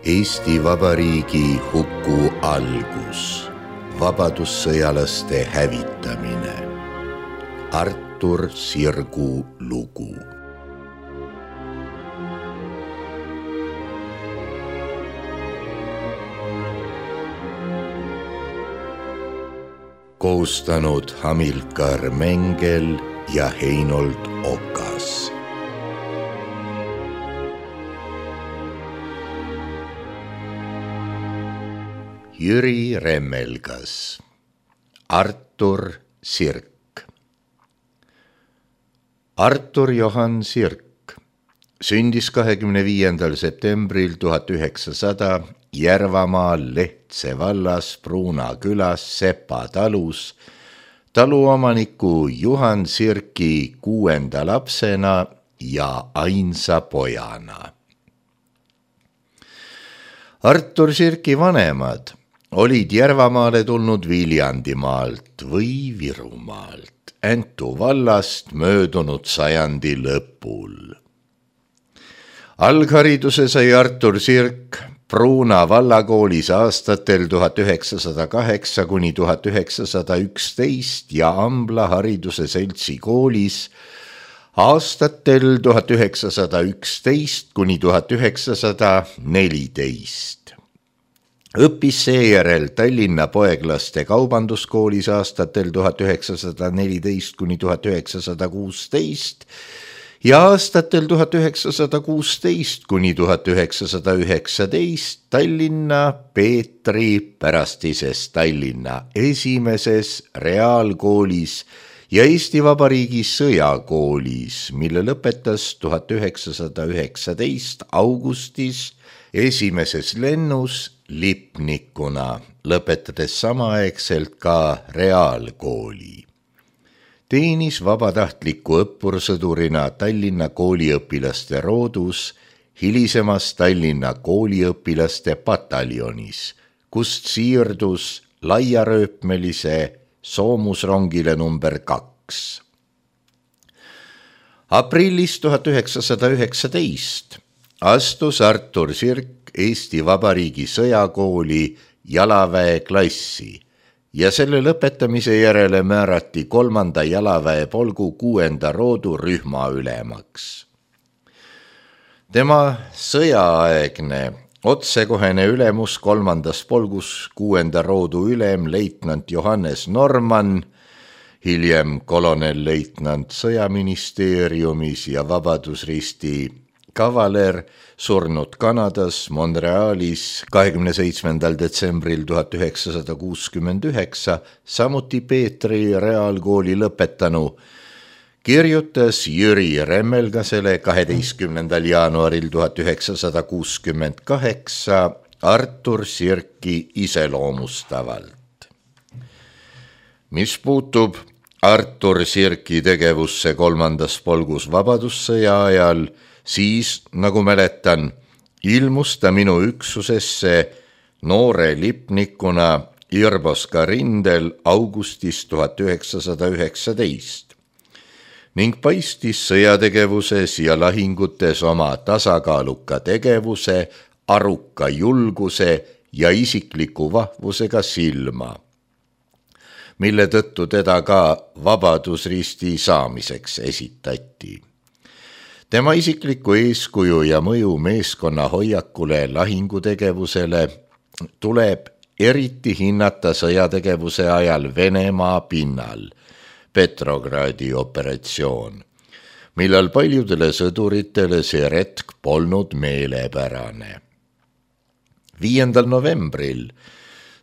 Eesti Vabariigi huku algus, vabadussõjalaste hävitamine. Artur Sirgu lugu. Koostanud Hamilkar Mengel ja Heinold Okas. Jüri Remmelgas. Artur Sirk. Artur Johan Sirk sündis 25. septembril 1900 Järvamaal Lehtse vallas Pruuna külas Sepa talus taluomaniku Juhan Sirki 6. lapsena ja ainsa pojana. Artur Sirki vanemad olid Järvamaale tulnud Viljandimaalt või Virumaalt, Äntu vallast möödunud sajandi lõpul. Alghariduse sai Artur Sirk Pruuna vallakoolis aastatel 1908 kuni 1911 ja Ambla hariduse seltsi koolis aastatel 1911 kuni 1914. Õppis seejärel Tallinna poeglaste kaubanduskoolis aastatel 1914 kuni 1916 ja aastatel 1916 kuni 1919 Tallinna Peetri pärastises Tallinna esimeses reaalkoolis ja Eesti Vabariigi sõjakoolis, mille lõpetas 1919 augustis esimeses lennus lipnikuna, lõpetades samaaegselt ka reaalkooli. Teenis vabatahtliku õppursõdurina Tallinna kooliõpilaste roodus, hilisemas Tallinna kooliõpilaste pataljonis, kust siirdus laiarööpmelise soomusrongile number 2. Aprillis 1919 astus Artur Sirk Eesti Vabariigi sõjakooli jalaväeklassi ja selle lõpetamise järele määrati 3. jalaväepolgu 6. roodu rühmaülemaks. Tema sõjaaegne otsekohene ülemus 3. polgus 6. roodu ülem leitnant Johannes Norman, hiljem kolonelleitnant sõjaministeeriumis ja Vabadusristi kavaler, surnud Kanadas Montrealis 27. detsembril 1969, samuti Peetri reaalkooli lõpetanu, kirjutas Jüri Remmelgasele 12. jaanuaril 1968 Artur Sirki iseloomustavalt. Mis puutub Artur Sirki tegevusse 3. polgus vabadussõja ajal, siis, nagu mäletan, ilmus ta minu üksusesse noore lipnikuna Irboska rindel augustis 1919 ning paistis sõjategevuses ja lahingutes oma tasakaaluka tegevuse, aruka julguse ja isikliku vahvusega silma, mille tõttu teda ka Vabadusristi saamiseks esitati. Tema isikliku eeskuju ja mõju meeskonna hoiakule lahingutegevusele tuleb eriti hinnata sõjategevuse ajal Venemaa pinnal, Petrogradi operatsioon, millal paljudele sõduritele see retk polnud meelepärane. 5. novembril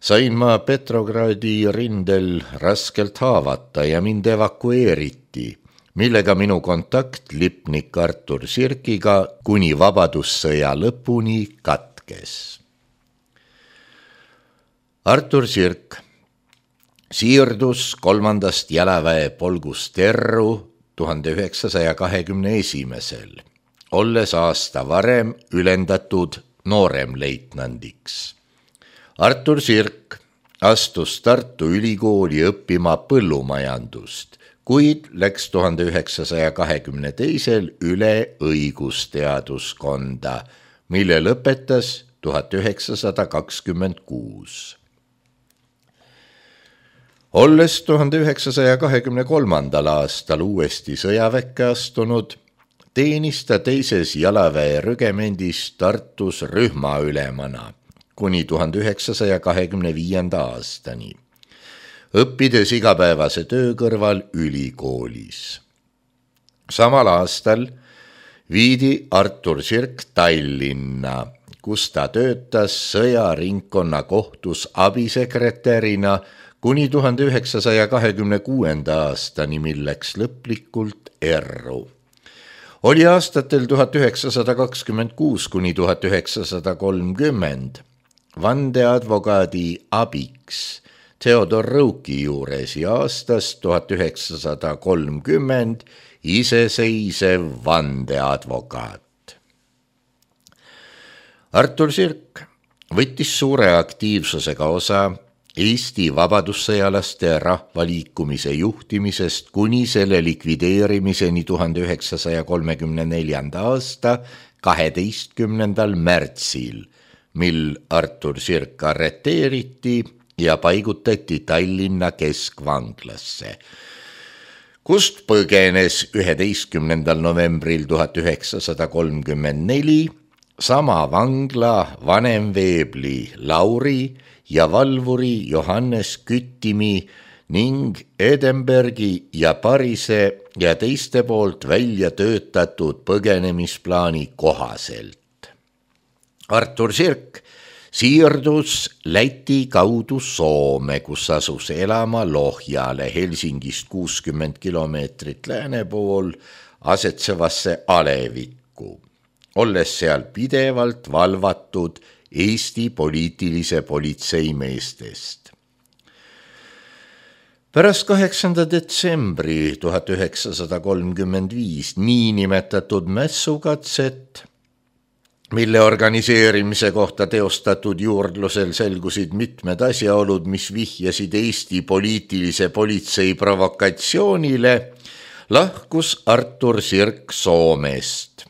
sain ma Petrogradi rindel raskelt haavata ja mind evakueeriti, millega minu kontakt lipnik Artur Sirkiga kuni vabadussõja lõpuni katkes. Artur Sirk siirdus 3. jalaväepolgust Terru 1921, olles aasta varem ülendatud nooremleitnandiks. Artur Sirk astus Tartu Ülikooli õppima põllumajandust, kuid läks 1922 üle õigusteaduskonda, mille lõpetas 1926. Olles 1923. aastal uuesti sõjaväkke astunud, teenis ta teises jalaväe rügemendis Tartus rühmaülemana kuni 1925. aastani, õppides igapäevase töö kõrval ülikoolis. Samal aastal viidi Artur Sirk Tallinna, kus ta töötas sõjaringkonna kohtus abisekretärina kuni 1926. aastani, milleks lõplikult erru. Oli aastatel 1926 kuni 1930 vandeadvokaadi abiks Theodor Rõuki juures ja aastast 1930 iseseisev vandeadvokaat. Artur Sirk võttis suure aktiivsusega osa Eesti vabadussõjalaste rahvaliikumise juhtimisest kuni selle likvideerimiseni 1934. aasta 12. märtsil, mil Artur Sirk arreteeriti ja paigutati Tallinna keskvanglasse, kust põgenes 11. novembril 1934 sama vangla vanemveebli Lauri ja valvuri Johannes Küttimi ning Edinburghi ja Parise ja teiste poolt välja töötatud põgenemisplaani kohaselt. Artur Sirk siirdus Läti kaudu Soome, kus asus elama Lohjale Helsingist 60 kilomeetrit lääne pool asetsevasse Alevikku, olles seal pidevalt valvatud Eesti poliitilise politsei meestest. Pärast 8. detsembri 1935 niinimetatud mässukatset, mille organiseerimise kohta teostatud juurdlusel selgusid mitmed asjaolud, mis vihjasid Eesti poliitilise politsei provokatsioonile, lahkus Artur Sirk Soomest,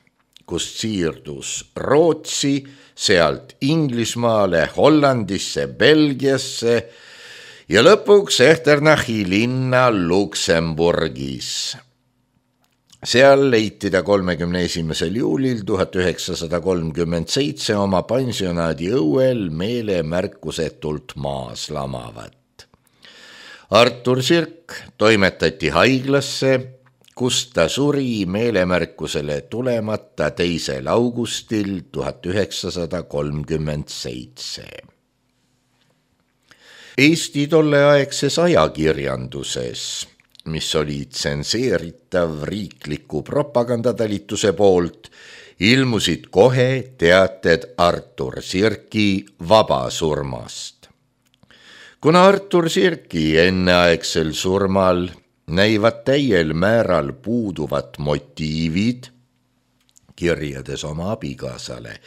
kust siirdus Rootsi, sealt Inglismaale, Hollandisse, Belgiasse ja lõpuks Echternachi linna Luksemburgis. Seal leiti ta 31. juulil 1937 oma pensionaadi õuel meelemärkusetult maas lamavat. Artur Sirk toimetati haiglasse, kus ta suri meelemärkusele tulemata 2. augustil 1937. Eesti tolleaegses ajakirjanduses, mis oli tsenseeritav riikliku propagandatalituse poolt, ilmusid kohe teated Artur Sirki vabasurmast. Kuna Artur Sirki enneaegsel surmal näivad täiel määral puuduvat motiivid kirjades oma abikaasale,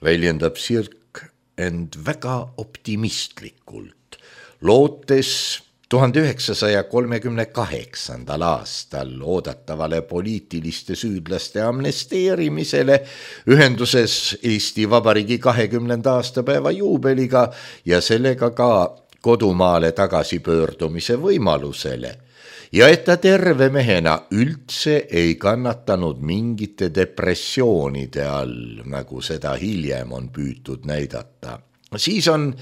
väljendab Sirk end väga optimistlikult, lootes 1938. aastal oodatavale poliitiliste süüdlaste amnesteerimisele ühenduses Eesti Vabariigi 20. aastapäeva juubeliga ja sellega ka kodumaale tagasipöördumise võimalusele, ja et ta terve mehena üldse ei kannatanud mingite depressioonide all, nagu seda hiljem on püütud näidata. Siis on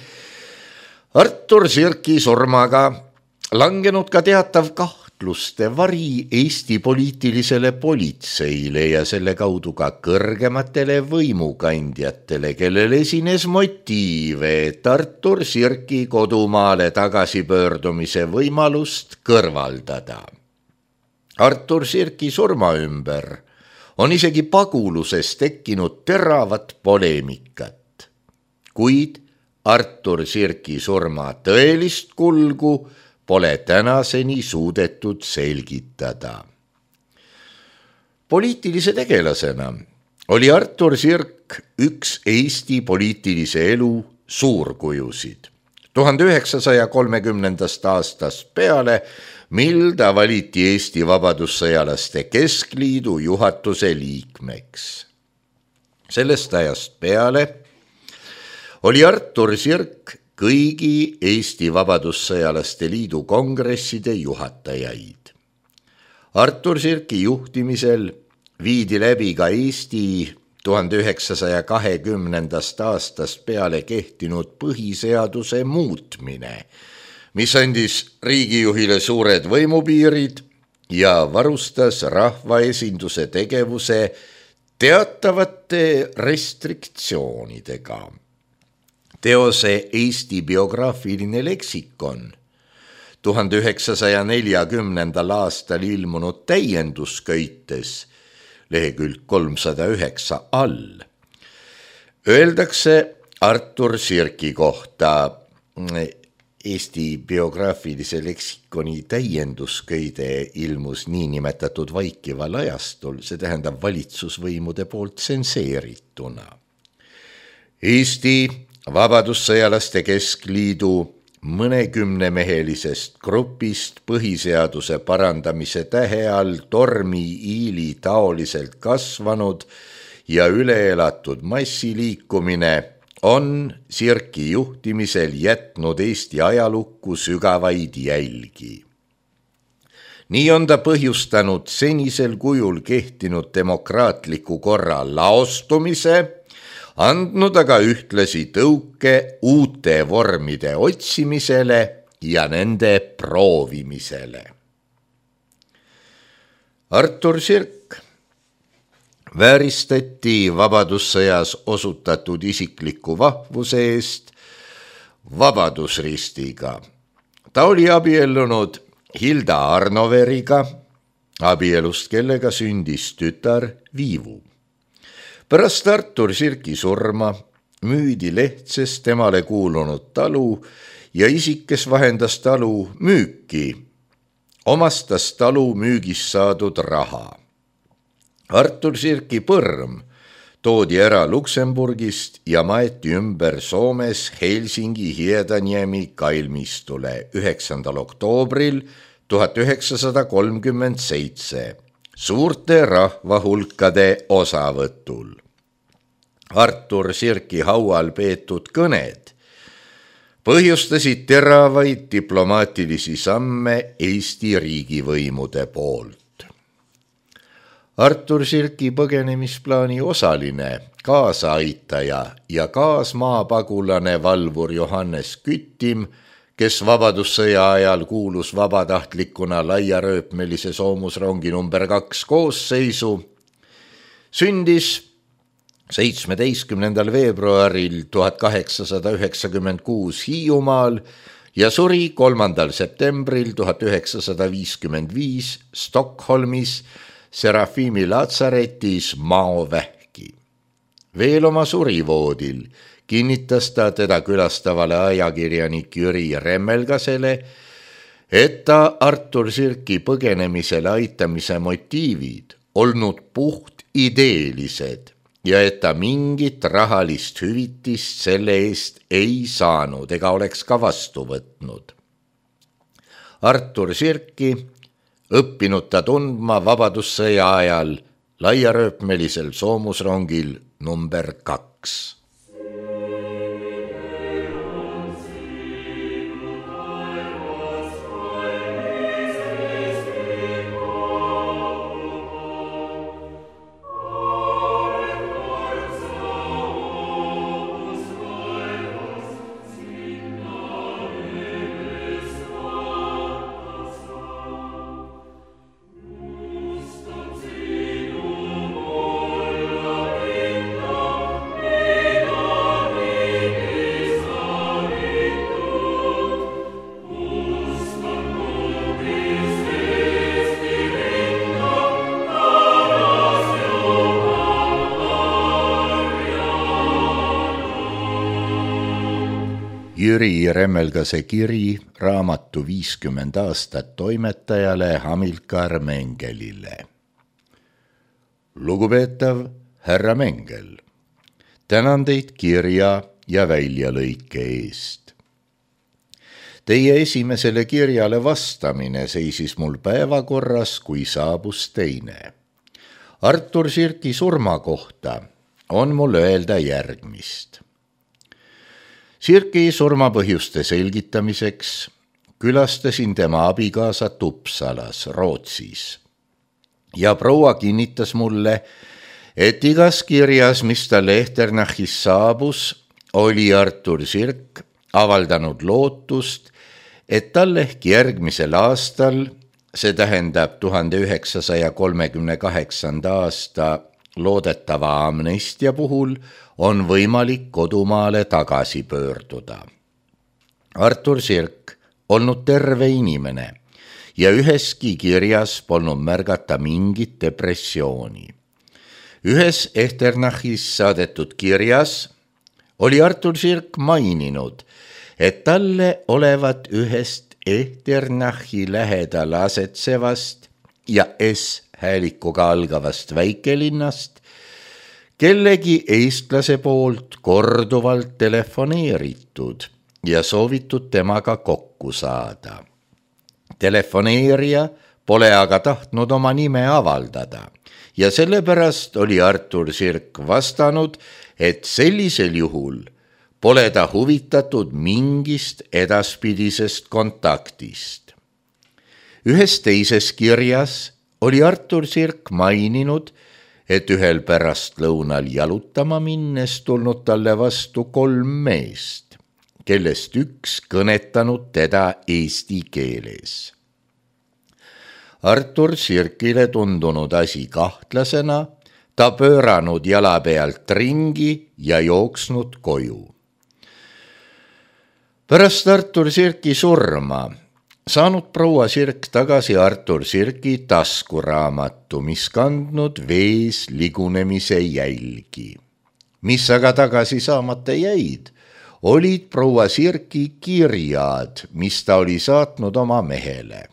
Artur Sirki surmaga langenud ka teatav kahtluste vari Eesti poliitilisele politseile ja selle kaudu ka kõrgematele võimukandjatele, kellel esines motiive, et Artur Sirki kodumaale tagasipöördumise võimalust kõrvaldada. Artur Sirki surma ümber on isegi paguluses tekkinud teravat poleemikat, kuid Artur Sirki surma tõelist kulgu pole tänaseni suudetud selgitada. Poliitilise tegelasena oli Artur Sirk üks Eesti poliitilise elu suurkujusid. 1930. aastast peale, mil ta valiti Eesti Vabadussõjalaste Keskliidu juhatuse liikmeks. Sellest ajast peale oli Artur Sirk kõigi Eesti Vabadussõjalaste Liidu kongresside juhatajaid. Artur Sirki juhtimisel viidi läbi ka Eesti 1920. aastast peale kehtinud põhiseaduse muutmine, mis andis riigijuhile suured võimupiirid ja varustas rahvaesinduse tegevuse teatavate restriktsioonidega. Teose Eesti biograafiline leksikon 1940. aastal ilmunud täiendusköites lehekülg 309 all öeldakse Artur Sirki kohta Eesti biograafilise leksikoni täiendusköide ilmus niinimetatud vaikival ajastul, see tähendab valitsusvõimude poolt tsenseerituna. Eesti Vabadussõjalaste Keskliidu mõnekümnemehelisest grupist põhiseaduse parandamise tähe all tormi-iili taoliselt kasvanud ja üleelatud massiliikumine on Sirki juhtimisel jätnud Eesti ajalukku sügavaid jälgi. Nii on ta põhjustanud senisel kujul kehtinud demokraatliku korra laostumise, andnud aga ühtlasi tõuke uute vormide otsimisele ja nende proovimisele. Artur Sirk vääristati Vabadussõjas osutatud isikliku vahvuse eest Vabadusristiga. Ta oli abiellunud Hilda Arnoveriga, abielust kellega sündis tütar Viivu. Pärast Artur Sirki surma müüdi Lehtses temale kuulunud talu ja isik, kes vahendas talu müüki, omastas talu müügist saadud raha. Artur Sirki põrm toodi ära Luksemburgist ja maeti ümber Soomes Helsingi Hiedaniemi kalmistule 9. oktoobril 1937 suurte rahvahulkade osavõtul. Artur Sirki haual peetud kõned põhjustasid teravaid diplomaatilisi samme Eesti riigivõimude poolt. Artur Sirki põgenemisplaani osaline, kaasaaitaja ja kaasmaapagulane valvur Johannes Küttim, kes Vabadussõja ajal kuulus vabatahtlikuna laiarööpmelise soomusrongi number 2 koosseisu, sündis 17. veebruaril 1896 Hiiumaal ja suri 3. septembril 1955 Stockholmis Serafimi Latsaretis maovähki. Veel oma surivoodil kinnitas ta teda külastavale ajakirjanik Jüri Remmelgasele, et ta Artur Sirki põgenemisele aitamise motiivid olnud puht ideelised ja et ta mingit rahalist hüvitist selle eest ei saanud ega oleks ka vastu võtnud. Artur Sirki õppinud ta tundma Vabadussõja ajal laiarööpmelisel soomusrongil number 2. Jüri Remmelgase kiri raamatu 50 aastat toimetajale Hamilkar Mengelile. Lugupeetav härra Mengel, tänan teid kirja ja väljalõike eest. Teie esimesele kirjale vastamine seisis mul päevakorras, kui saabus teine. Artur Sirki surma kohta on mul öelda järgmist. Sirki surmapõhjuste selgitamiseks külastasin tema abikaasat Uppsalas, Rootsis. Ja proua kinnitas mulle, et igas kirjas, mis talle Echternachis saabus, oli Artur Sirk avaldanud lootust, et tal ehk järgmisel aastal, see tähendab 1938. aasta loodetava amnestia puhul, on võimalik kodumaale tagasi pöörduda. Artur Sirk olnud terve inimene ja üheski kirjas polnud märgata mingit depressiooni. Ühes Echternachis saadetud kirjas oli Artur Sirk maininud, et talle olevat ühest Echternachi lähedal asetsevast ja S-häälikuga algavast väikelinnast kellegi eestlase poolt korduvalt telefoneeritud ja soovitud temaga kokku saada. Telefoneerija pole aga tahtnud oma nime avaldada ja sellepärast oli Artur Sirk vastanud, et sellisel juhul pole ta huvitatud mingist edaspidisest kontaktist. Ühes teises kirjas oli Artur Sirk maininud, et ühel pärastlõunal jalutama minnes tulnud talle vastu 3 meest, kellest üks kõnetanud teda eesti keeles. Artur Sirkile tundunud asi kahtlasena, ta pööranud jala pealt ringi ja jooksnud koju. Pärast Artur Sirki surma saanud proua Sirk tagasi Artur Sirki taskuraamatu, mis kandnud vees ligunemise jälgi. Mis aga tagasi saamata jäid, olid proua Sirki kirjad, mis ta oli saatnud oma mehele.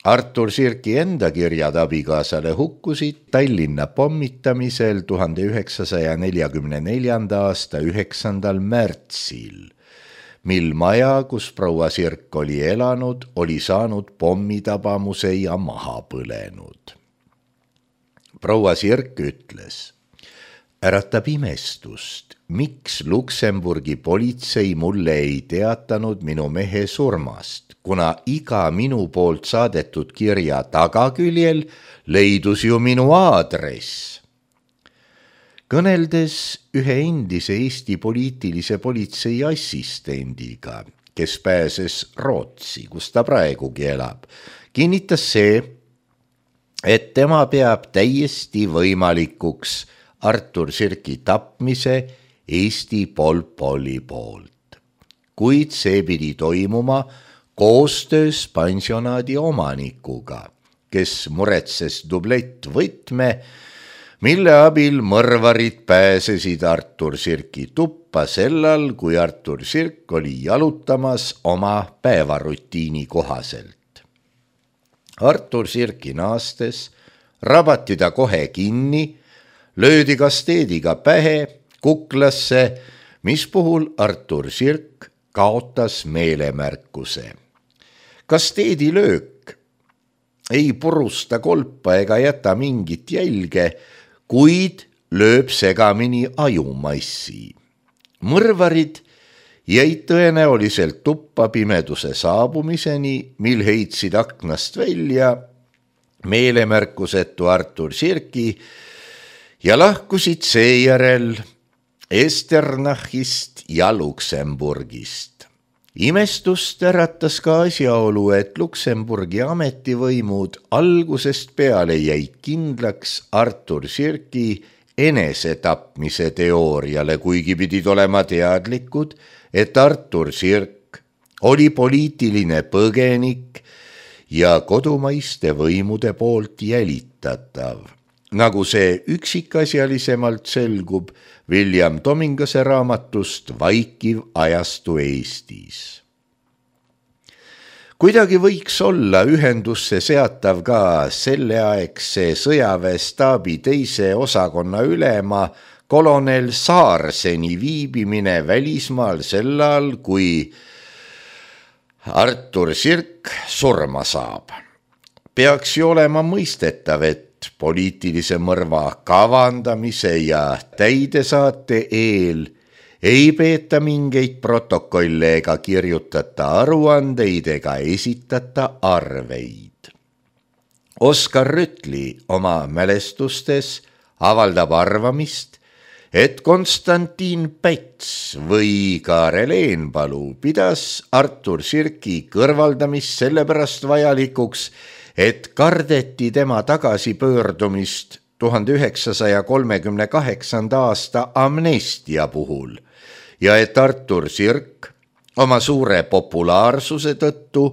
Artur Sirki enda kirjad abikaasale hukkusid Tallinna pommitamisel 1944. aasta 9. märtsil, mil maja, kus proua Sirk oli elanud, oli saanud pommitabamuse ja maha põlenud. Proua Sirk ütles, äratab imestust, miks Luksemburgi politsei mulle ei teatanud minu mehe surmast, kuna iga minu poolt saadetud kirja tagaküljel leidus ju minu aadress. Kõneldes ühe endise Eesti poliitilise politsei assistendiga, kes pääses Rootsi, kus ta praegugi elab, kinnitas see, et tema peab täiesti võimalikuks Artur Sirki tapmise Eesti Pol Poli poolt. Kuid see pidi toimuma koostöös pansionaadi omanikuga, kes muretses dublettvõtme, mille abil mõrvarid pääsesid Artur Sirki tuppa sellal, kui Artur Sirk oli jalutamas oma päevarutiini kohaselt. Artur Sirki naastes rabati ta kohe kinni, löödi kasteediga pähe, kuklasse, mis puhul Artur Sirk kaotas meelemärkuse. Kasteedilöök ei purusta kolpa ega jäta mingit jälge, kuid lööb segamini ajumassi. Mõrvarid jäid tõenäoliselt tuppa pimeduse saabumiseni, mil heitsid aknast välja meelemärkusetu Artur Sirki ja lahkusid seejärel Echternachist ja Luksemburgist. Imestust äratas ka asjaolu, et Luksemburgi ametivõimud algusest peale jäid kindlaks Artur Sirki enesetapmise teooriale, kuigi pidid olema teadlikud, et Artur Sirk oli poliitiline põgenik ja kodumaiste võimude poolt jälitatav, nagu see üksikasjalisemalt selgub William Tomingase raamatust Vaikiv ajastu Eestis. Kuidagi võiks olla ühendusse seatav ka selleaegse sõjaväestaabi 2. osakonna ülema kolonel Saarseni viibimine välismaal sellal, kui Artur Sirk surma saab. Peaks ju olema mõistetav, et poliitilise mõrva kavandamise ja täidesaate eel ei peeta mingeid protokolle ega kirjutata aruandeid ega esitata arveid. Oskar Rütli oma mälestustes avaldab arvamist, et Konstantin Päts või Kaarel Eenpalu pidas Artur Sirki kõrvaldamist sellepärast vajalikuks, et kardeti tema tagasipöördumist 1938. aasta amnestia puhul ja et Artur Sirk oma suure populaarsuse tõttu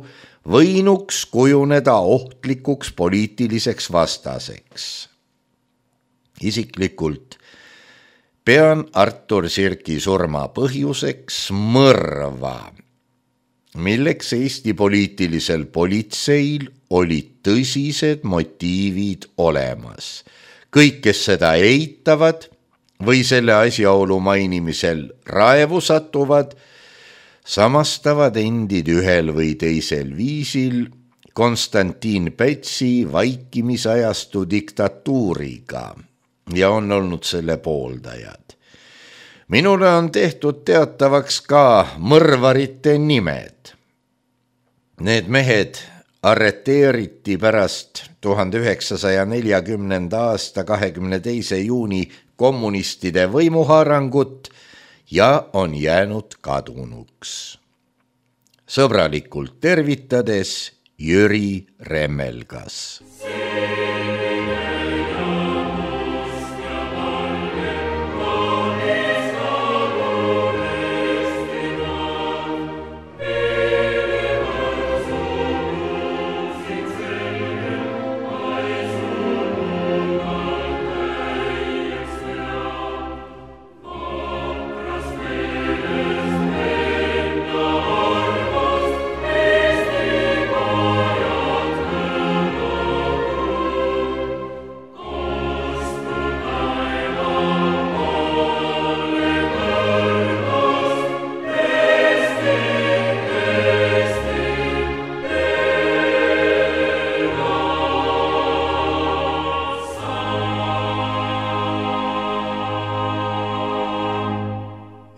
võinuks kujuneda ohtlikuks poliitiliseks vastaseks. Isiklikult pean Artur Sirki surma põhjuseks mõrva, milleks Eesti poliitilisel politseil olid tõsised motiivid olemas. Kõik, kes seda eitavad või selle asjaolu mainimisel raevu satuvad, samastavad endid ühel või teisel viisil Konstantin Pätsi vaikimisajastu diktatuuriga ja on olnud selle pooldajad. Minule on tehtud teatavaks ka mõrvarite nimed. Need mehed arreteeriti pärast 1940. aasta 22. juuni kommunistide võimuhaarangut ja on jäänud kadunuks. Sõbralikult tervitades Jüri Remmelgas.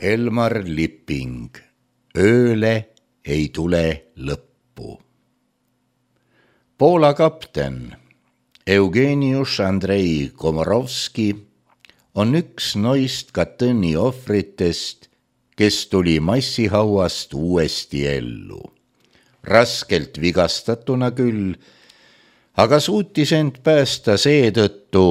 Elmar Lipping, ööle ei tule lõppu. Poola kapten Eugeniusz Andrei Komorovski on üks noist Katyni ohvritest, kes tuli massihauast uuesti ellu. Raskelt vigastatuna küll, aga suutis end päästa seetõttu,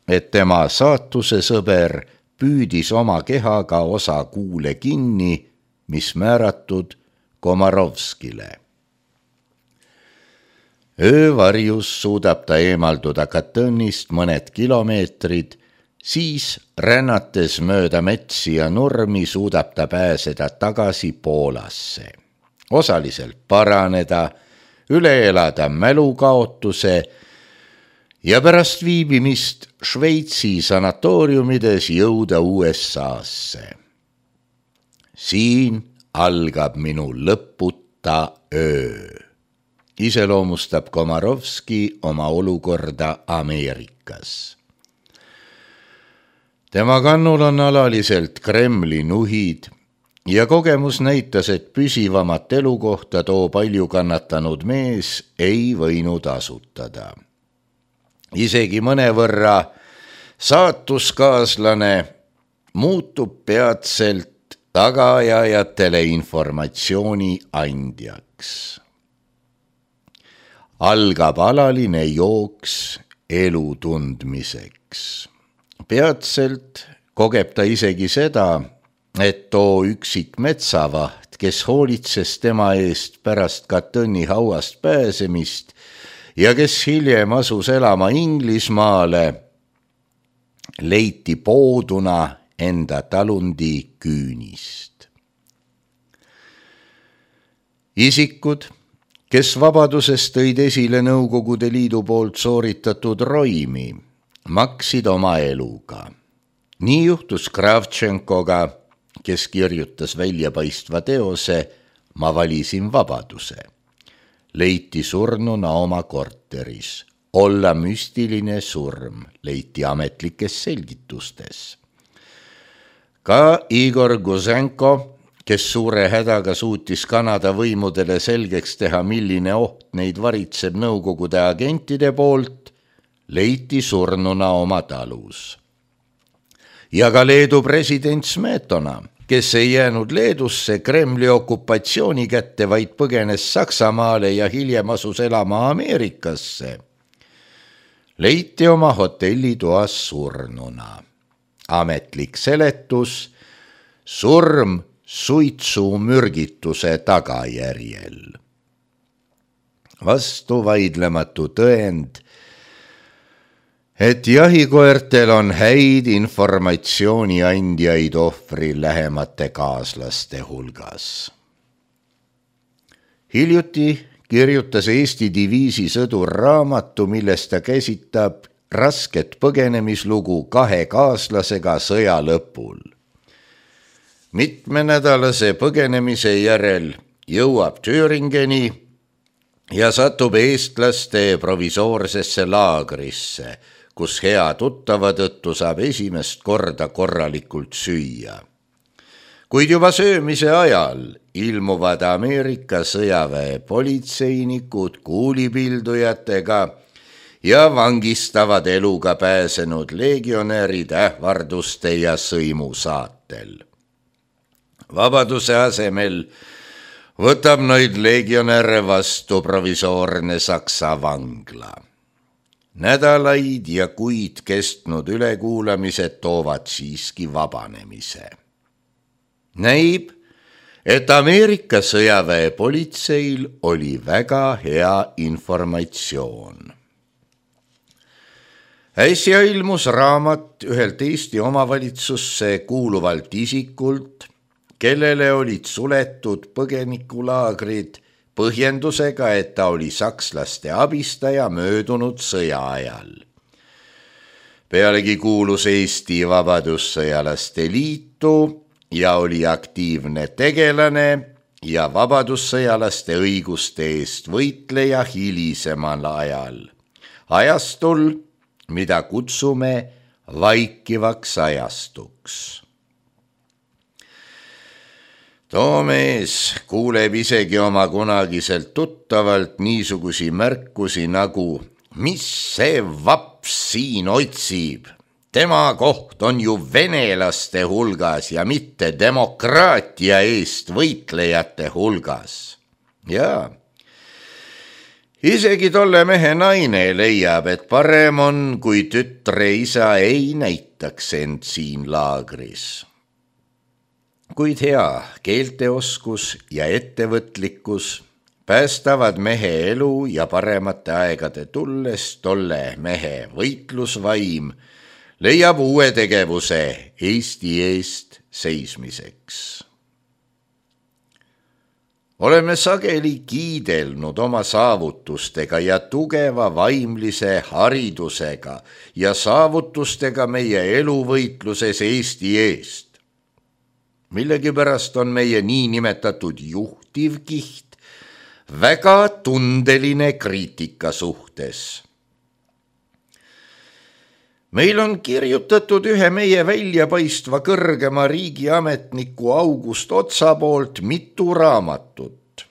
et tema saatuse sõber püüdis oma kehaga osa kuule kinni, mis määratud Komorovskile. Öövarjus suudab ta eemalduda Katynist mõned kilomeetrid, siis rännates mööda metsi ja nurmi suudab ta pääseda tagasi Poolasse. Osaliselt paraneda, üle elada mälukaotuse ja pärast viibimist Šveitsi sanatooriumides jõuda USA-sse. Siin algab minu lõputa öö, iseloomustab Komorovski oma olukorda Ameerikas. Tema kannul on alaliselt Kremli nuhid ja kogemus näitas, et püsivamat elukohta too palju kannatanud mees ei võinud asutada. Isegi mõnevõrra saatuskaaslane muutub peatselt tagaajajatele informatsiooni andjaks. Algab alaline jooks elu tundmiseks. Peatselt kogeb ta isegi seda, et too üksik metsavaht, kes hoolitses tema eest pärast Katyni hauast pääsemist ja kes hiljem asus elama Inglismaale, leiti pooduna enda talundi küünist. Isikud, kes vabaduses tõid esile Nõukogude Liidu poolt sooritatud roimi, maksid oma eluga. Nii juhtus Kravtšenkoga, kes kirjutas väljapaistva teose "Ma valisin vabaduse". Leiti surnuna oma korteris. Olla müstiline surm leiti ametlikes selgitustes. Ka Igor Guzenko, kes suure hädaga suutis Kanada võimudele selgeks teha, milline oht neid varitseb Nõukogude agentide poolt, leiti surnuna oma talus. Ja ka Leedu president Smetona, kes ei jäänud Leedusse Kremli okupatsiooni kätte, vaid põgenes Saksamaale ja hiljem asus elama Ameerikasse, leiti oma hotellitoas surnuna. Ametlik seletus: surm suitsumürgituse tagajärjel. Vastuvaidlematu tõend, et jahikoertel on häid informatsiooni andjaid ohvri lähemate kaaslaste hulgas. Hiljuti kirjutas Eesti diviisi sõdur raamatu, milles ta käsitab rasket põgenemislugu 2 kaaslasega sõja lõpul. Mitmenädalase põgenemise järel jõuab Thüringeni ja satub eestlaste provisoorsesse laagrisse, kus hea tuttava tõttu saab esimest korda korralikult süüa. Kuid juba söömise ajal ilmuvad Ameerika sõjaväe politseinikud kuulipildujatega ja vangistavad eluga pääsenud legionärid ähvarduste ja sõimu saatel. Vabaduse asemel võtab neid legionäre vastu provisoorne Saksa vangla. Nädalaid ja kuid kestnud ülekuulamised toovad siiski vabanemise. Näib, et Ameerika sõjaväe politseil oli väga hea informatsioon. Äsja ilmus raamat ühelt Eesti omavalitsusse kuuluvalt isikult, kellele olid suletud põgenikulaagrid põhjendusega, et ta oli sakslaste abistaja möödunud sõja ajal. Pealegi kuulus Eesti Vabadussõjalaste Liitu ja oli aktiivne tegelane ja vabadussõjalaste õiguste eest võitleja hilisemal ajal, ajastul, mida kutsume vaikivaks ajastuks. Too mees kuuleb isegi oma kunagiselt tuttavalt niisugusi märkusi nagu: mis see vaps siin otsib? Tema koht on ju venelaste hulgas ja mitte demokraatia eest võitlejate hulgas. Jaa, isegi tolle mehe naine leiab, et parem on, kui tütre isa ei näitaks end siin laagris. Kuid hea keelteoskus ja ettevõtlikkus päästavad mehe elu ja paremate aegade tulles tolle mehe võitlusvaim leiab uue tegevuse Eesti eest seismiseks. Oleme sageli kiidelnud oma saavutustega ja tugeva vaimlise haridusega ja saavutustega meie eluvõitluses Eesti eest. Millegipärast on meie niinimetatud juhtivkiht väga tundeline kriitika suhtes. Meil on kirjutatud ühe meie väljapaistva kõrgema riigiametniku August Otsa poolt mitu raamatut,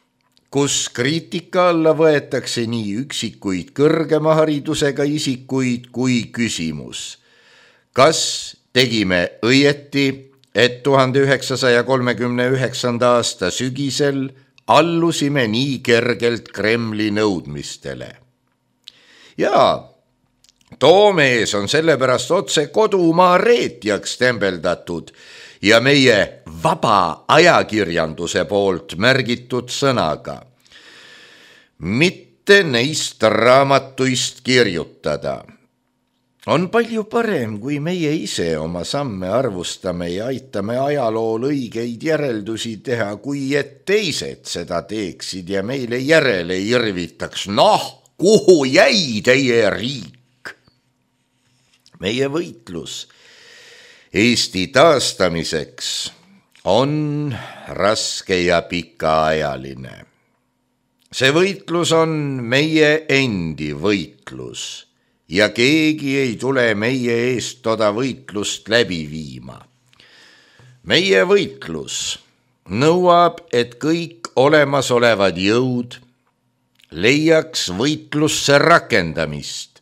kus kriitika alla võetakse nii üksikuid kõrgema haridusega isikuid kui küsimus: kas tegime õieti, et 1939. aasta sügisel allusime nii kergelt Kremli nõudmistele? Jaa, too mees on sellepärast otse kodumaa reetjaks tembeldatud ja meie vaba ajakirjanduse poolt märgitud sõnaga: mitte neist raamatuist kirjutada. On palju parem, kui meie ise oma samme arvustame ja aitame ajalool õigeid järeldusi teha, kui et teised seda teeksid ja meile järele irvitaks: noh, kuhu jäi teie riik? Meie võitlus Eesti taastamiseks on raske ja pikaajaline. See võitlus on meie endi võitlus ja keegi ei tule meie eest toda võitlust läbi viima. meie võitlus nõuab, et kõik olemasolevad jõud leiaks võitlusse rakendamist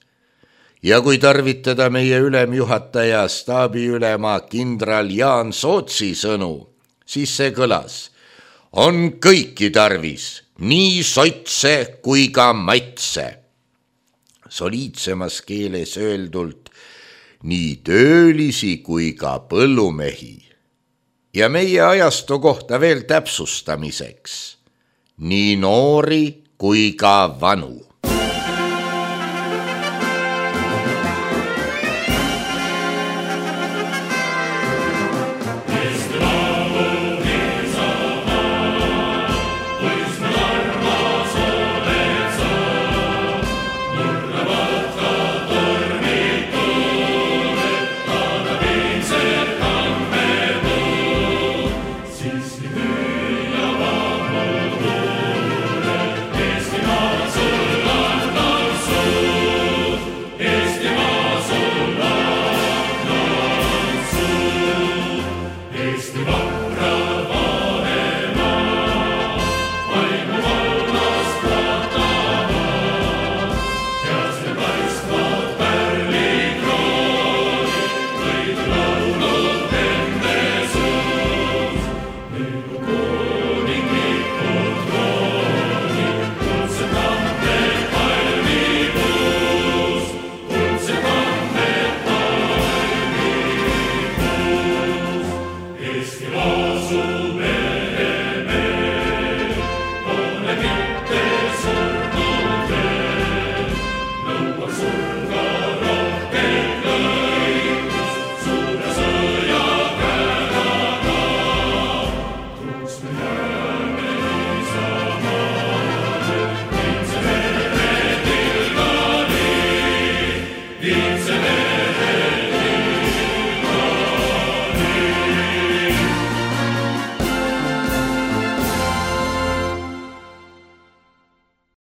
ja kui tarvitada meie ülemjuhataja staabiülema kindral Jaan Sootsi sõnu, siis see kõlas: on kõiki tarvis, nii sotse kui ka matse. Soliidsemas keeles öeldult nii töölisi kui ka põllumehi. Ja meie ajastu kohta veel täpsustamiseks: nii noori kui ka vanu.